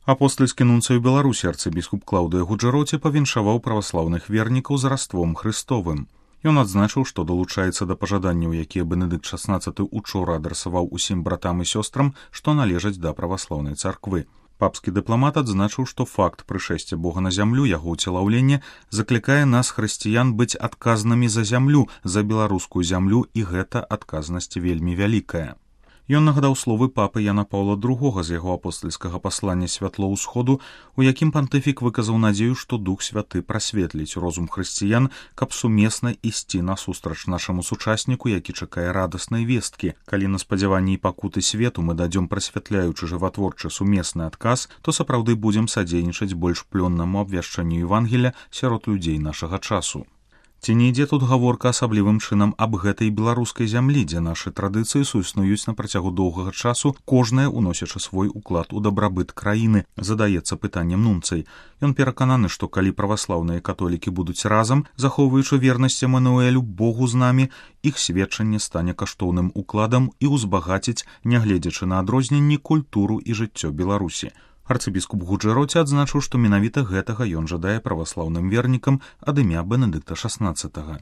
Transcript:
Апостальскі нунцый у Беларусі арцыбіскуп Клаўдыя Гуджэроці павіншаваў праваслаўных вернікаў з раством Хрыстовым. Ён адзначыў, што далучаецца да пажаданняў, якія Бенедыкт XVI учора адрасаваў усім братам і сёстрам, што належаць да праваслаўнай царквы. Папскі дыпламат адзначыў, што факт прышэсця Бога на зямлю, яго ўцелаўленне, заклікае нас, хрысціян, быць адказнымі за зямлю, за беларускую зямлю, і гэта адказнасць вельмі вялікая. Ён нагадаў словы папы Яна Паўла II з яго апостальскага паслання «Святло ўсходу», у якім пантыфік выказаў надзею, што Дух Святы прасветліць розум хрысціян, каб сумесна ісці насустрач нашаму сучасніку, які чакае радаснай весткі. Калі на спадзяванні і пакуты свету мы дадзём прасвятляючы жыватворчы сумесны адказ, то сапраўды будзем садзейнічаць больш плённаму абвяшчанню Евангелля сярод людзей нашага часу. Ці не ідзе тут гаворка асаблівым чынам аб гэтай беларускай зямлі, дзе нашы традыцыі суіснуюць на працягу доўгага часу, кожная уносячы свой уклад у дабрабыт краіны, задаецца пытаннем нунцый. Ён перакананы, што калі праваслаўныя католікі будуць разам, захоўваючы вернасць Эмануэлю, Богу з намі, іх сведчанне стане каштоўным укладам і ўзбагаціць, нягледзячы на адрозненні, культуру і жыццё Беларусі. Арцыбіскуп Гуджэроці адзначыў, што менавіта гэтага ён жадае праваслаўным вернікам ад імя Бенедыкта XVI.